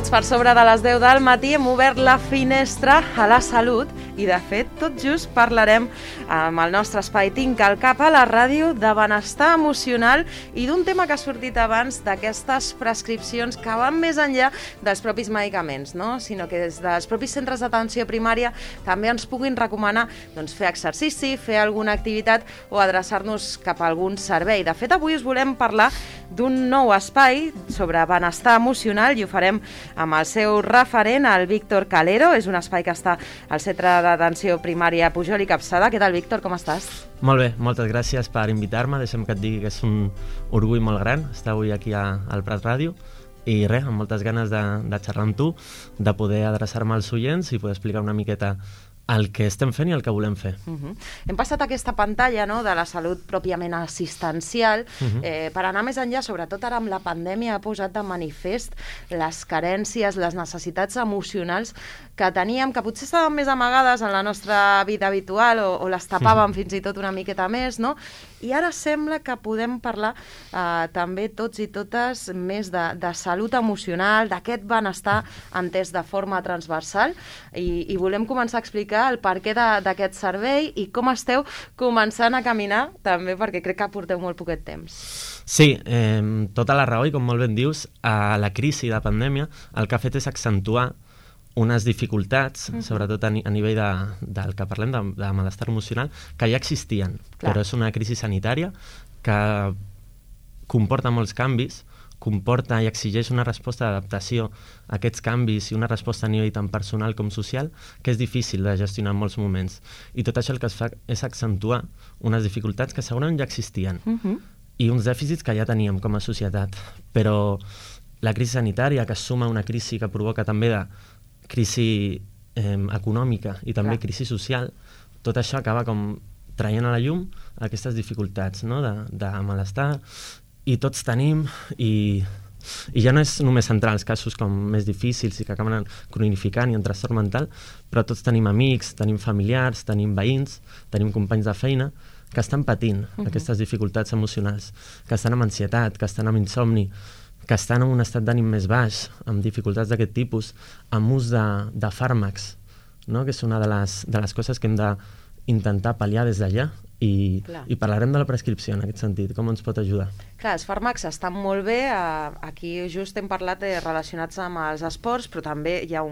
minuts per sobre de les 10 del matí hem obert la finestra a la salut i, de fet, tot just parlarem amb el nostre espai Tinc al Cap a la ràdio de benestar emocional i d'un tema que ha sortit abans, d'aquestes prescripcions que van més enllà dels propis medicaments, no? Sinó que des dels propis centres d'atenció primària també ens puguin recomanar fer exercici, fer alguna activitat o adreçar-nos cap a algun servei. De fet, avui us volem parlar d'un nou espai sobre benestar emocional i ho farem amb el seu referent, el Víctor Calero. És un espai que està al Centre d'Atenció Primària Pujol i Capçada. Què tal, Víctor? Com estàs? Molt bé, moltes gràcies per invitar-me. Deixa'm que et digui que és un orgull molt gran estar avui aquí al Prat Ràdio i res, amb moltes ganes de xerrar amb tu, de poder adreçar-me als oients i poder explicar una miqueta el que estem fent i el que volem fer. Hem passat aquesta pantalla, no?, de la salut pròpiament assistencial per anar més enllà, sobretot ara amb la pandèmia ha posat de manifest les carències, les necessitats emocionals que teníem, que potser estaven més amagades en la nostra vida habitual o les tapàvem fins i tot una miqueta més, no? I ara sembla que podem parlar també tots i totes més de salut emocional, d'aquest benestar entès de forma transversal i volem començar a explicar el perquè d'aquest servei i com esteu començant a caminar també, perquè crec que porteu molt poquet temps. Sí, tota la raó i com molt ben dius, la crisi de pandèmia el que ha fet és accentuar unes dificultats, sobretot a nivell del que parlem, de malestar emocional, que ja existien. Clar. Però és una crisi sanitària que comporta molts canvis, comporta i exigeix una resposta d'adaptació a aquests canvis i una resposta a nivell tant personal com social que és difícil de gestionar en molts moments. I tot això el que es fa és accentuar unes dificultats que segurament ja existien i uns dèficits que ja teníem com a societat. Però la crisi sanitària, que es suma a una crisi que provoca també de crisi econòmica i també crisi social, tot això acaba com traient a la llum aquestes dificultats, no?, de malestar. I tots tenim, i ja no és només centrar els casos com més difícils i que acaben cronificant i en trastorn mental, però tots tenim amics, tenim familiars, tenim veïns, tenim companys de feina que estan patint aquestes dificultats emocionals, que estan amb ansietat, que estan amb insomni, que estan en un estat d'ànim més baix, amb dificultats d'aquest tipus, amb ús de fàrmacs, no?, que és una de les coses que hem d'intentar pal·liar des d'allà. I parlarem de la prescripció en aquest sentit, com ens pot ajudar. Clar, els fàrmacs estan molt bé, aquí just hem parlat relacionats amb els esports, però també hi ha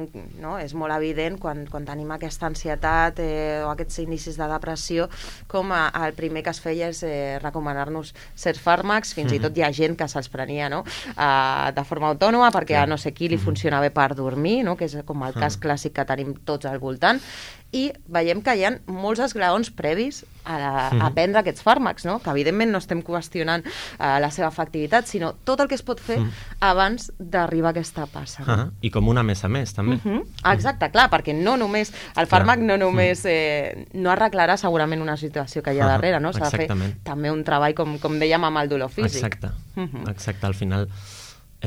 és molt evident quan tenim aquesta ansietat o aquests inicis de depressió, com el primer que es feia és recomanar-nos certs fàrmacs, fins i tot hi ha gent que se'ls prenia de forma autònoma perquè a no sé qui li funciona bé per dormir, que és com el cas clàssic que tenim tots al voltant, i veiem que hi ha molts esglaons previs a prendre aquests fàrmacs, que evidentment no estem qüestionant la seva efectivitat, sinó tot el que es pot fer abans d'arribar a aquesta passa. I com una més a més, també. Exacte, clar, perquè no només el fàrmac no només no arreglarà segurament una situació que hi ha darrere, no? S'ha de fer també un treball, com dèiem, amb el dolor físic. Exacte, al final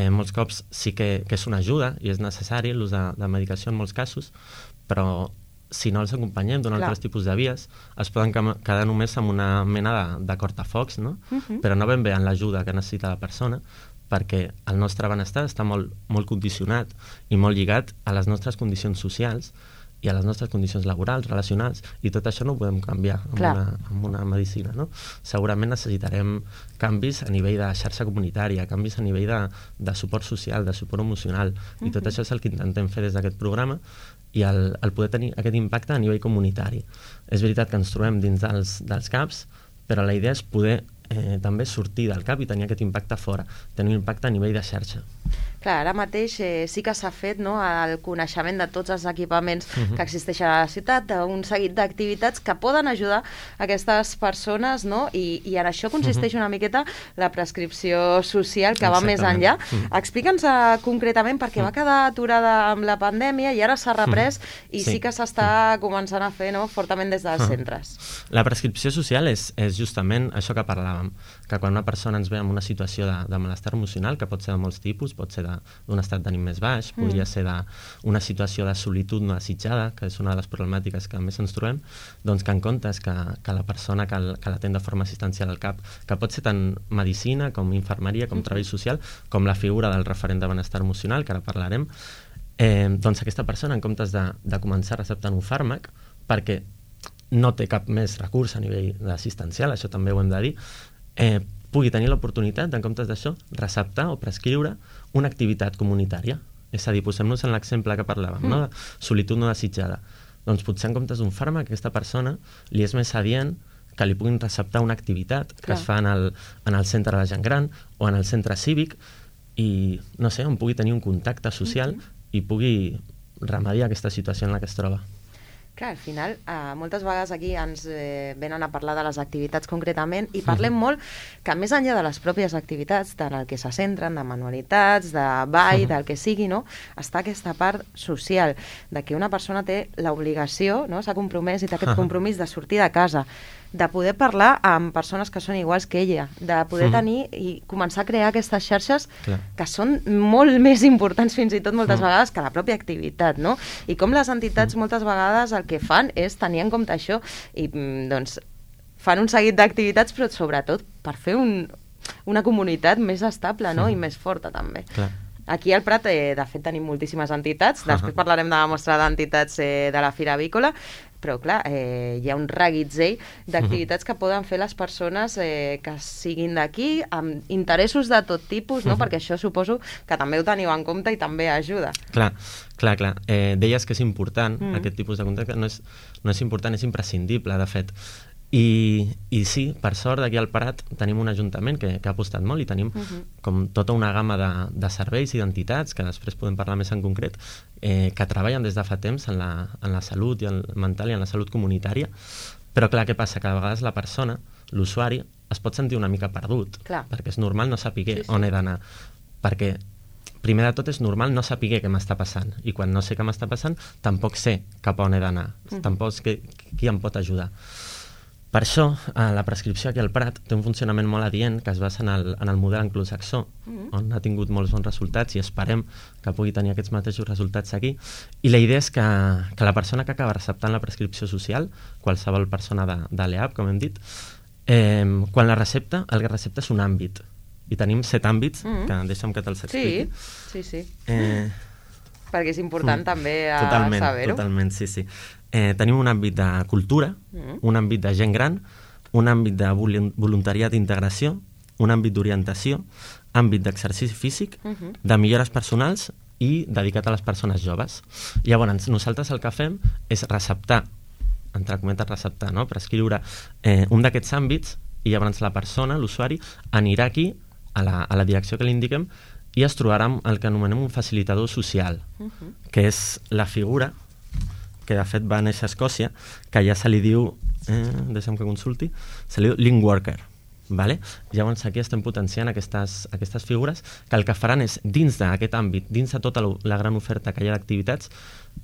molts cops sí que és una ajuda i és necessari l'ús de medicació en molts casos, però si no els acompanyem d'un altres tipus de vies, es poden quedar només amb una mena de cortafocs, no? Però no ben bé en l'ajuda que necessita la persona, perquè el nostre benestar està molt, molt condicionat i molt lligat a les nostres condicions socials i a les nostres condicions laborals, relacionals, i tot això no ho podem canviar amb una medicina, no? Segurament necessitarem canvis a nivell de xarxa comunitària, canvis a nivell de suport social, de suport emocional, i tot això és el que intentem fer des d'aquest programa i el poder tenir aquest impacte a nivell comunitari. És veritat que ens trobem dins dels CAPs, però la idea és poder també sortir del CAP i tenir aquest impacte fora, tenir un impacte a nivell de xarxa. Clar, ara mateix sí que s'ha fet el coneixement de tots els equipaments que existeixen a la ciutat, d'un seguit d'activitats que poden ajudar aquestes persones, i en això consisteix una miqueta la prescripció social que va més enllà. Explica'ns concretament, perquè va quedar aturada amb la pandèmia i ara s'ha reprès i sí que s'està començant a fer fortament des dels centres. La prescripció social és justament això que parlàvem, que quan una persona ens ve en una situació de malestar emocional, que pot ser de molts tipus, pot ser d'un estat d'ànim més baix, podria ser d'una situació de solitud no desitjada, que és una de les problemàtiques que més ens trobem, doncs que en comptes que la persona que l'atén de forma assistencial al CAP, que pot ser tant medicina com infermeria, com treball social, com la figura del referent de benestar emocional, que ara parlarem, doncs aquesta persona, en comptes de començar receptant un fàrmac, perquè no té cap més recurs a nivell assistencial, això també ho hem de dir, pugui tenir l'oportunitat, en comptes d'això, receptar o prescriure una activitat comunitària. És a dir, posem-nos en l'exemple que parlàvem, no? De solitud no desitjada. Doncs potser en comptes d'un fàrmac, aquesta persona li és més adient que li puguin receptar una activitat que es fa en el centre de la gent gran o en el centre cívic i, no sé, on pugui tenir un contacte social i pugui remediar aquesta situació en la que es troba. Clar, al final, moltes vegades aquí ens venen a parlar de les activitats concretament i parlem molt que més enllà de les pròpies activitats, tant el que se centren, de manualitats, de ball, del que sigui, no? Està aquesta part social, de que una persona té l'obligació, no? S'ha compromès i té aquest compromís de sortir de casa, de poder parlar amb persones que són iguals que ella, de poder tenir i començar a crear aquestes xarxes que són molt més importants fins i tot moltes vegades que la pròpia activitat, no? I com les entitats moltes vegades el que fan és tenir en compte això i doncs fan un seguit d'activitats però sobretot per fer una comunitat més estable, no? I més forta també. Aquí al Prat, de fet, tenim moltíssimes entitats, després parlarem de la mostra d'entitats de la Fira Avícola, però clar, hi ha un reguitzell d'activitats que poden fer les persones que siguin d'aquí, amb interessos de tot tipus, no? Perquè això suposo que també ho teniu en compte i també ajuda. Clar. Deies que és important, aquest tipus de contacte, no és important, és imprescindible, de fet. I sí, per sort, aquí al Prat tenim un ajuntament que ha apostat molt i tenim com tota una gamma de serveis i d'entitats, que després podem parlar més en concret, que treballen des de fa temps en la salut i mental i en la salut comunitària. Però clar, què passa? Que a vegades la persona, l'usuari, es pot sentir una mica perdut, perquè és normal no saber on he d'anar, perquè primer de tot és normal no saber què m'està passant, i quan no sé què m'està passant tampoc sé cap a on he d'anar, tampoc sé qui em pot ajudar. Per això, la prescripció aquí al Prat té un funcionament molt adient que es basa en el model anglosaxó, on ha tingut molts bons resultats i esperem que pugui tenir aquests mateixos resultats aquí. I la idea és que la persona que acaba receptant la prescripció social, qualsevol persona de l'EAP, com hem dit, quan la recepta, el que recepta és un àmbit. I tenim 7 àmbits, que deixa'm que te'ls expliqui. Sí. Perquè és important també saber-ho. Totalment, sí. Tenim un àmbit de cultura, un àmbit de gent gran, un àmbit de voluntariat d'integració, un àmbit d'orientació, àmbit d'exercici físic, de millores personals i dedicat a les persones joves. Llavors, nosaltres el que fem és receptar, entre cometes receptar, no? Prescriure un d'aquests àmbits i llavors la persona, l'usuari, anirà aquí a la direcció que li indiquem i es trobarà amb el que anomenem un facilitador social, que és la figura que de fet va néixer a Escòcia, que ja se li diu, deixa'm que consulti, se li diu link worker. Vale? Llavors aquí estem potenciant aquestes figures que el que faran és, dins d'aquest àmbit, dins de tota la gran oferta que hi ha d'activitats,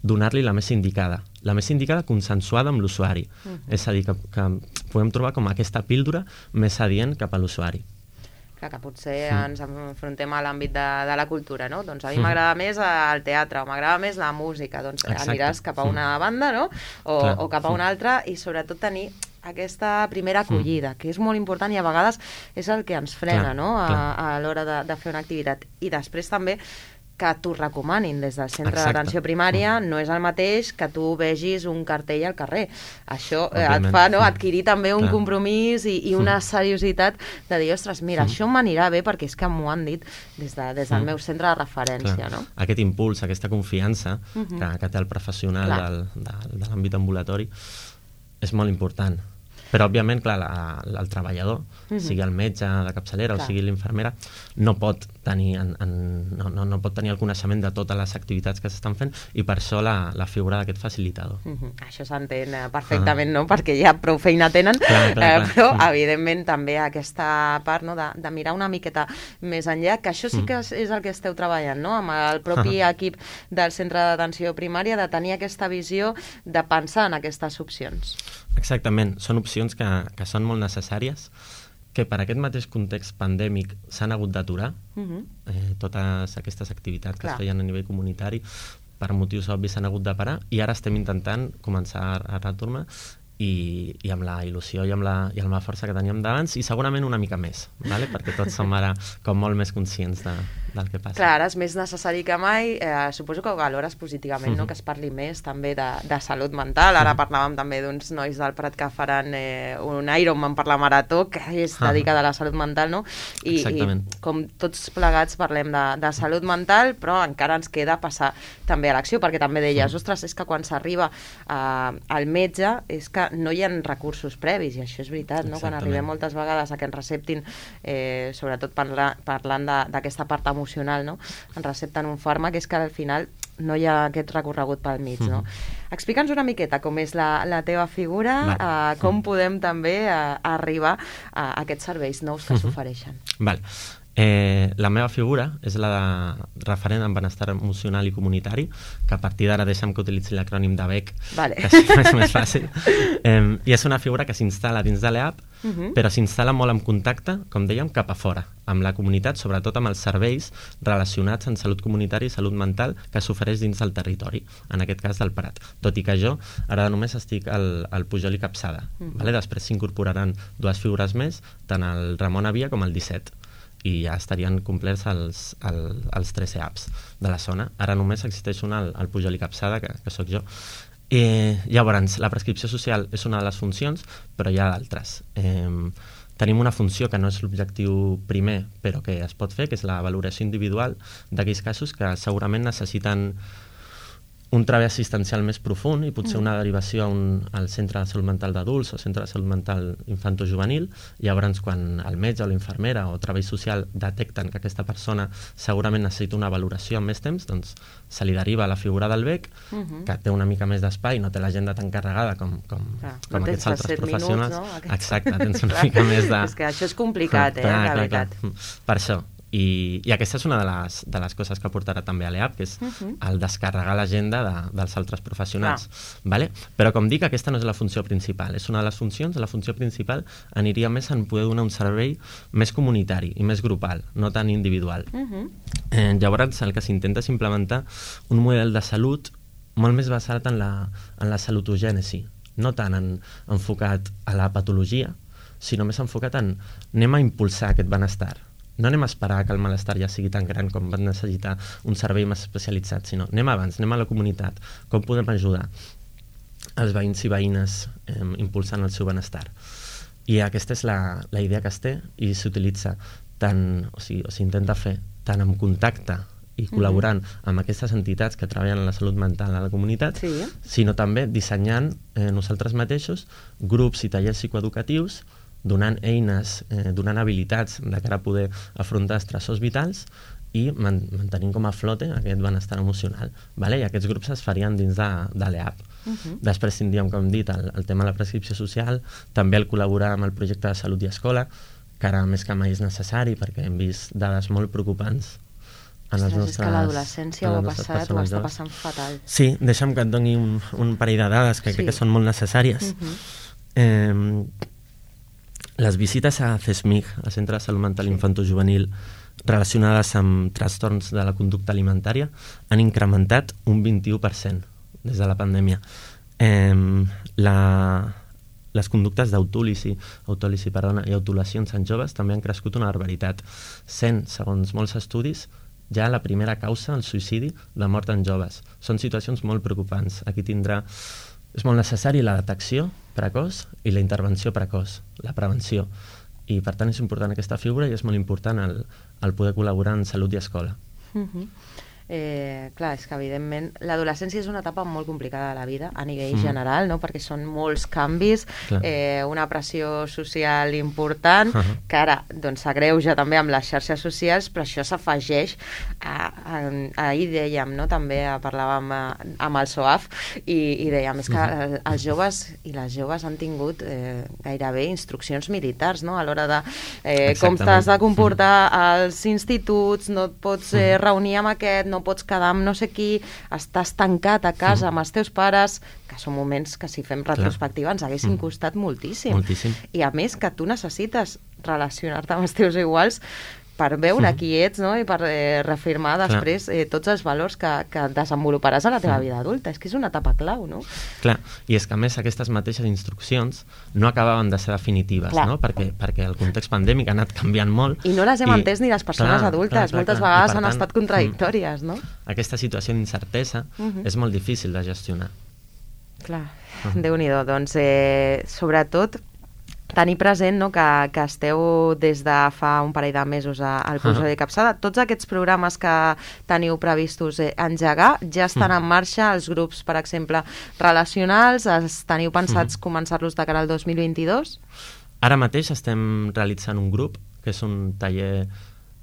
donar-li la més indicada consensuada amb l'usuari. És a dir, que podem trobar com aquesta píldora més adient cap a l'usuari. Clar, que potser ens enfrontem a l'àmbit de la cultura, no? Doncs a mi m'agrada més el teatre o m'agrada més la música, doncs aniràs cap a una banda, no? O cap a una altra i sobretot tenir aquesta primera acollida, que és molt important i a vegades és el que ens frena, no? A l'hora de fer una activitat. I després també que t'ho recomanin des del centre d'atenció primària, no és el mateix que tu vegis un cartell al carrer. Això et fa adquirir també un compromís i una seriositat de dir, ostres, mira, això m'anirà bé perquè és que m'ho han dit des del meu centre de referència. No? Aquest impuls, aquesta confiança que té el professional de l'àmbit ambulatori és molt important. Però, òbviament, clar, el treballador, sigui el metge de capçalera o sigui l'infermera, no pot tenir el coneixement de totes les activitats que s'estan fent i per això la figura d'aquest facilitador. Això s'entén perfectament, no? Perquè ja prou feina tenen, però, evidentment, també aquesta part de mirar una miqueta més enllà, que això sí que és el que esteu treballant, no? Amb el propi equip del centre d'atenció primària, de tenir aquesta visió de pensar en aquestes opcions. Exactament, són opcions que són molt necessàries, que per aquest mateix context pandèmic s'han hagut d'aturar totes aquestes activitats que es feien a nivell comunitari, per motius obvis s'han hagut de parar, i ara estem intentant començar a retornar i amb la il·lusió i amb la força que teníem d'abans, i segurament una mica més, ¿vale? Perquè tots som ara com molt més conscients del que passa. Clar, ara és més necessari que mai. Suposo que ho valores positivament, no? Que es parli més també de salut mental. Ara parlàvem també d'uns nois del Prat que faran un Ironman per la marató, que és dedicada a la salut mental, no? I com tots plegats parlem de salut mental, però encara ens queda passar també a l'acció, perquè també deies, ostres, és que quan s'arriba al metge és que no hi ha recursos previs, i això és veritat, no? Quan arribem moltes vegades a que ens receptin, sobretot parlant d'aquesta part emocional, no? Ens recepten un fàrmac, és que al final no hi ha aquest recorregut pel mig, no? Explica'ns una miqueta com és la teva figura, com podem també arribar a aquests serveis nous que s'ofereixen. Val. La meva figura és la de referent en benestar emocional i comunitari, que a partir d'ara deixa'm que utilitzi l'acrònim de BEC, que és més fàcil. I és una figura que s'instal·la dins de l'EAP, però s'instal·la molt en contacte, com dèiem, cap a fora, amb la comunitat, sobretot amb els serveis relacionats en salut comunitària i salut mental que s'ofereix dins del territori, en aquest cas del Prat. Tot i que jo ara només estic al Pujol i Capçada. Després s'incorporaran 2 figures més, tant el Ramon Avia com el 17. I ja estarien complerts els 3 EAPs de la zona. Ara només existeix un al Pujol i Capçada, que sóc jo. Llavors, la prescripció social és una de les funcions, però hi ha d'altres. Tenim una funció que no és l'objectiu primer, però que es pot fer, que és la valoració individual d'aquells casos que segurament necessiten un treball assistencial més profund i potser una derivació al centre de salut mental d'adults o centre de salut mental infantojuvenil. Llavors, quan el metge o l'infermera o treball social detecten que aquesta persona segurament necessita una valoració amb més temps, doncs se li deriva a la figura del BEC, que té una mica més d'espai, no té l'agenda tan carregada com aquests altres professionals. Exacte, tens una mica més de... És que això és complicat, la veritat. Per això. I aquesta és una de les coses que portarà també a l'EAP, que és el descarregar l'agenda dels altres professionals. Vale? Però com dic, aquesta no és la funció principal, és una de les funcions. La funció principal aniria més en poder donar un servei més comunitari i més grupal, no tan individual. Llavors el que s'intenta és implementar un model de salut molt més basat en la salutogènesi, no tant enfocat a la patologia, sinó més enfocat anem a impulsar aquest benestar. No anem a esperar que el malestar ja sigui tan gran com va necessitar un servei més especialitzat, sinó anem abans, anem a la comunitat. Com podem ajudar els veïns i veïnes impulsant el seu benestar? I aquesta és la idea que es té, i s'utilitza tant, o s'intenta fer tant en contacte i col·laborant amb aquestes entitats que treballen en la salut mental a la comunitat, sinó també dissenyant nosaltres mateixos grups i tallers psicoeducatius, donant eines, donant habilitats de cara a poder afrontar estressors vitals i mantenint com a flote aquest benestar emocional. I aquests grups es farien dins de l'EAP. Després tindríem, com hem dit, el tema de la prescripció social, també el col·laborar amb el projecte de salut i escola, que ara més que mai és necessari perquè hem vist dades molt preocupants en els nostres... És que l'adolescència ho està passant fatal. Sí, deixa'm que et doni un parell de dades que crec que són molt necessàries. Les visites a CESMIG, al Centre de Salut Mental Infantojuvenil, relacionades amb trastorns de la conducta alimentària, han incrementat un 21% des de la pandèmia. Les conductes d'autòlisi i autolesions en joves també han crescut una barbaritat, sent, segons molts estudis, ja la primera causa, el suïcidi, de mort en joves. Són situacions molt preocupants. Aquí és molt necessari la detecció precoç i la intervenció precoç, la prevenció. I per tant és important aquesta figura i és molt important el poder col·laborar en salut i escola. Clar, és que evidentment l'adolescència és una etapa molt complicada de la vida a nivell general, no? Perquè són molts canvis, una pressió social important, que ara s'agreuja també amb les xarxes socials, però això s'afegeix ahir dèiem, no? També parlàvem amb el SOAF i dèiem, és que els joves i les joves han tingut gairebé instruccions militars, no? A l'hora de com t'has de comportar als instituts, no et pots reunir amb aquest, no pots quedar amb no sé qui, estàs tancat a casa amb els teus pares, que són moments que si fem retrospectiva ens haguessin costat moltíssim. I a més que tu necessites relacionar-te amb els teus iguals per veure qui ets, no? I per reafirmar després tots els valors que desenvoluparàs a la teva vida adulta. És que és una etapa clau, no? Clar, i és que a més aquestes mateixes instruccions no acabaven de ser definitives, no? Perquè el context pandèmic ha anat canviant molt. I no les hem entès ni les persones adultes. Moltes vegades han estat contradictòries, no? Aquesta situació d'incertesa és molt difícil de gestionar. Clar, Déu-n'hi-do. Doncs, sobretot, tenir present, no, que esteu des de fa un parell de mesos al Pujol i Capçada. Tots aquests programes que teniu previstos engegar ja estan en marxa, els grups, per exemple, relacionals, teniu pensats començar-los de cara al 2022? Ara mateix estem realitzant un grup, que és un taller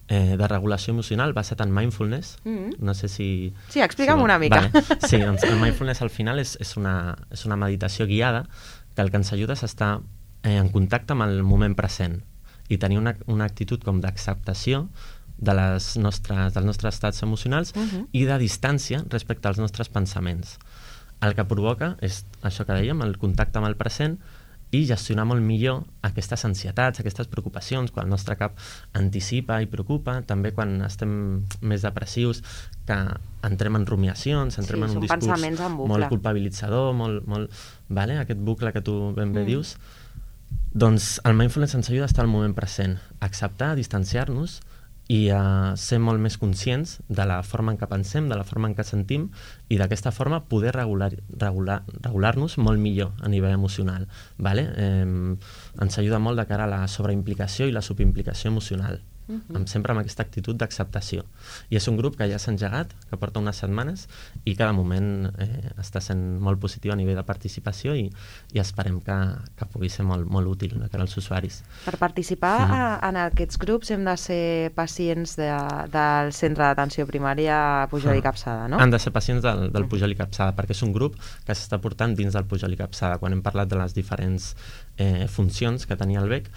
de regulació emocional basat en mindfulness. No sé si... Sí, explica'm una mica. Vale. Sí, doncs el mindfulness al final és una meditació guiada que el que ens ajuda és estar en contacte amb el moment present i tenir una actitud com d'acceptació dels nostres estats emocionals i de distància respecte als nostres pensaments. El que provoca és això que dèiem, el contacte amb el present i gestionar molt millor aquestes ansietats, aquestes preocupacions, quan el nostre cap anticipa i preocupa, també quan estem més depressius, que entrem en rumiacions, entrem en un discurs molt culpabilitzador, vale? Aquest bucle que tu ben bé dius. Doncs el mindfulness ens ajuda a estar al moment present, a acceptar, a distanciar-nos i a ser molt més conscients de la forma en què pensem, de la forma en què sentim i d'aquesta forma poder regular-nos molt millor a nivell emocional. Vale? Ens ajuda molt de cara a la sobreimplicació i la subimplicació emocional. Sempre amb aquesta actitud d'acceptació. I és un grup que ja s'ha engegat, que porta unes setmanes i cada moment està sent molt positiu a nivell de participació i esperem que pugui ser molt útil de cara als usuaris. Per participar en aquests grups hem de ser pacients del centre d'atenció primària Pujol i Capçada, no? Han de ser pacients del Pujol i Capçada perquè és un grup que s'està portant dins del Pujol i Capçada. Quan hem parlat de les diferents funcions que tenia el BEC,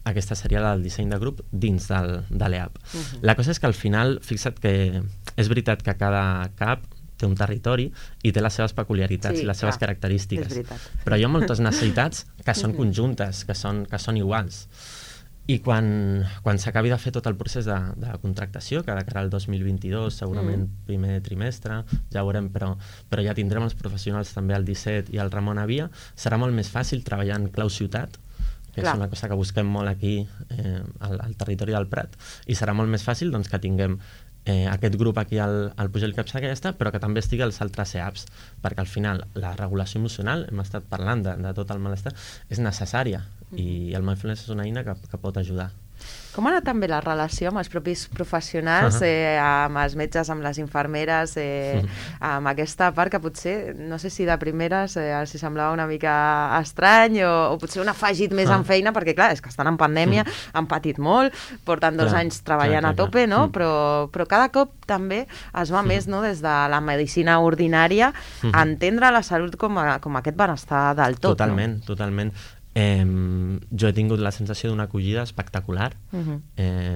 aquesta seria la del disseny de grup dins de l'EAP. La cosa és que al final, fixa't que és veritat que cada CAP té un territori i té les seves peculiaritats i les seves característiques. Però hi ha moltes necessitats que són conjuntes, que són iguals. I quan s'acabi de fer tot el procés de contractació, que de cara al 2022, segurament primer trimestre, ja ho veurem, però ja tindrem els professionals també al 17 i al Ramon Avia, serà molt més fàcil treballar en clau ciutat, que és una cosa que busquem molt aquí al territori del Prat, i serà molt més fàcil doncs, que tinguem aquest grup aquí al Pujol i Capçada que ja està, però que també estigui als altres EAPs, perquè al final la regulació emocional, hem estat parlant de tot el malestar, és necessària i el mindfulness és una eina que pot ajudar. Com ha anat també la relació amb els propis professionals, amb els metges, amb les infermeres, amb aquesta part que potser, no sé si de primeres els semblava una mica estrany o potser un afegit més en feina, perquè clar, és que estan en pandèmia, han patit molt, porten 2 anys treballant a tope, no? Però cada cop també es va més, no, des de la medicina ordinària a entendre la salut com aquest benestar del tot. Totalment. Jo he tingut la sensació d'una acollida espectacular,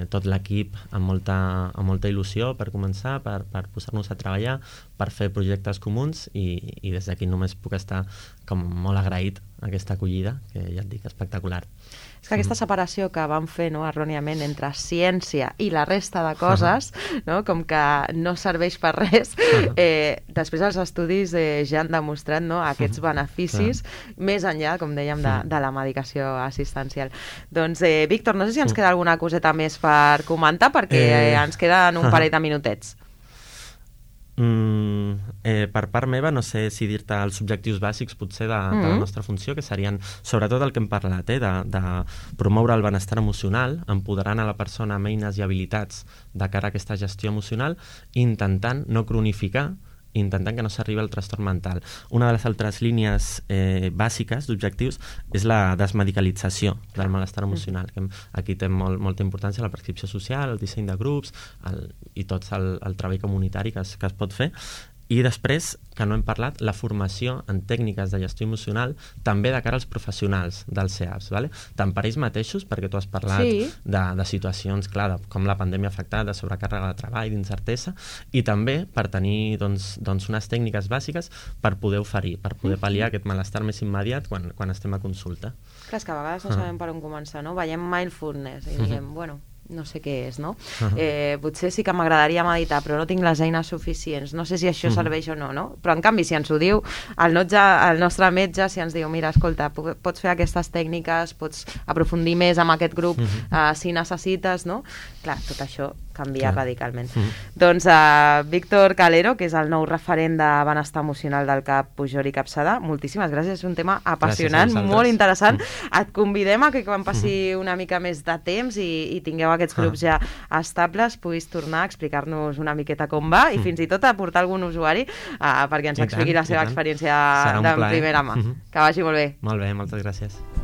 tot l'equip amb molta il·lusió per començar, per posar-nos a treballar, per fer projectes comuns i des d'aquí només puc estar com molt agraït a aquesta acollida, que ja et dic, espectacular. És que aquesta separació que vam fer, no, erròniament entre ciència i la resta de coses, no, com que no serveix per res, després els estudis ja han demostrat, no, aquests beneficis més enllà, com dèiem, de la medicació assistencial. Doncs, Víctor, no sé si ens queda alguna coseta més per comentar, perquè ens queden un parell de minutets. Per part meva, no sé si dir-te els objectius bàsics potser de la nostra funció, que serien sobretot el que hem parlat, de promoure el benestar emocional, empoderant a la persona amb eines i habilitats de cara a aquesta gestió emocional, intentant no cronificar, intentant que no s'arribi al trastorn mental. Una de les altres línies bàsiques d'objectius és la desmedicalització del malestar emocional, que aquí té molta importància la prescripció social, el disseny de grups i tot el treball comunitari que es pot fer. I després, que no hem parlat, la formació en tècniques de gestió emocional també de cara als professionals dels CEAPs, ¿vale? Tant per ells mateixos, perquè tu has parlat de situacions, clar, com la pandèmia ha afectat, de sobrecàrrega de treball, d'incertesa, i també per tenir doncs, unes tècniques bàsiques per poder oferir, per poder pal·liar aquest malestar més immediat quan estem a consulta. Clar, és que a vegades no sabem per on començar, no? Veiem mindfulness i diem, bueno, no sé què és, no? Potser sí que m'agradaria meditar, però no tinc les eines suficients. No sé si això serveix o no, no? Però en canvi, si ens ho diu el nostre metge, si ens diu, mira, escolta, pots fer aquestes tècniques, pots aprofundir més amb aquest grup si necessites, no? Clar, tot això canvia radicalment. Doncs Víctor Calero, que és el nou referent de benestar emocional del CAP Pujol i Capçada, moltíssimes gràcies, és un tema apassionant, molt interessant. Et convidem a que quan passi una mica més de temps i tingueu aquests grups ja estables, puguis tornar a explicar-nos una miqueta com va i fins i tot a portar algun usuari perquè ens expliqui la seva experiència de primera mà. Que vagi molt bé. Molt bé, moltes gràcies.